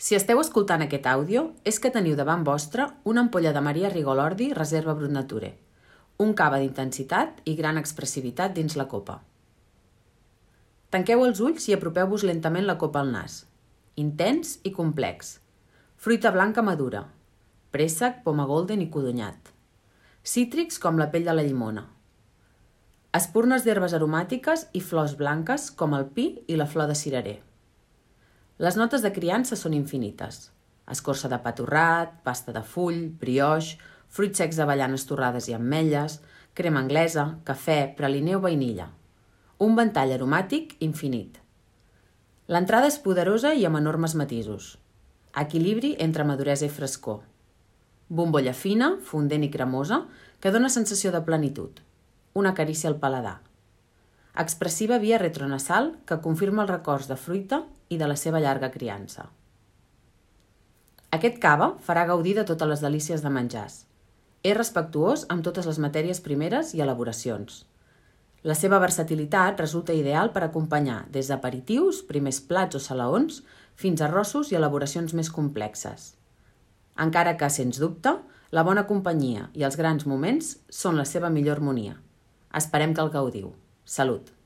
Si esteu escoltant aquest àudio, és que teniu davant vostre una ampolla de Maria Rigolordi Reserva Brut Nature, un cava d'intensitat i gran expressivitat dins la copa. Tanqueu els ulls i apropeu-vos lentament la copa al nas. Intens i complex. Fruita blanca madura. Préssec, poma golden i codonyat. Cítrics com la pell de la llimona. Espurnes d'herbes aromàtiques i flors blanques com el pi i la flor de cirerer. Les notes de criança són infinites. Escorça de pa torrat, pasta de full, brioix, fruits secs d'avellanes torrades i ametlles, crema anglesa, cafè, praliner o vainilla. Un ventall aromàtic infinit. L'entrada és poderosa i amb enormes matisos. Equilibri entre maduresa i frescor. Bombolla fina, fondent i cremosa, que dona sensació de plenitud. Una carícia al paladar. Expressiva via retronasal que confirma els records de fruita i de la seva llarga criança. Aquest cava farà gaudir de totes les delícies de menjars. És respectuós amb totes les matèries primeres i elaboracions. La seva versatilitat resulta ideal per acompanyar des d'aperitius, primers plats o salaons, fins a arrossos i elaboracions més complexes. Encara que, sens dubte, la bona companyia i els grans moments són la seva millor harmonia. Esperem que el gaudiu. Salut!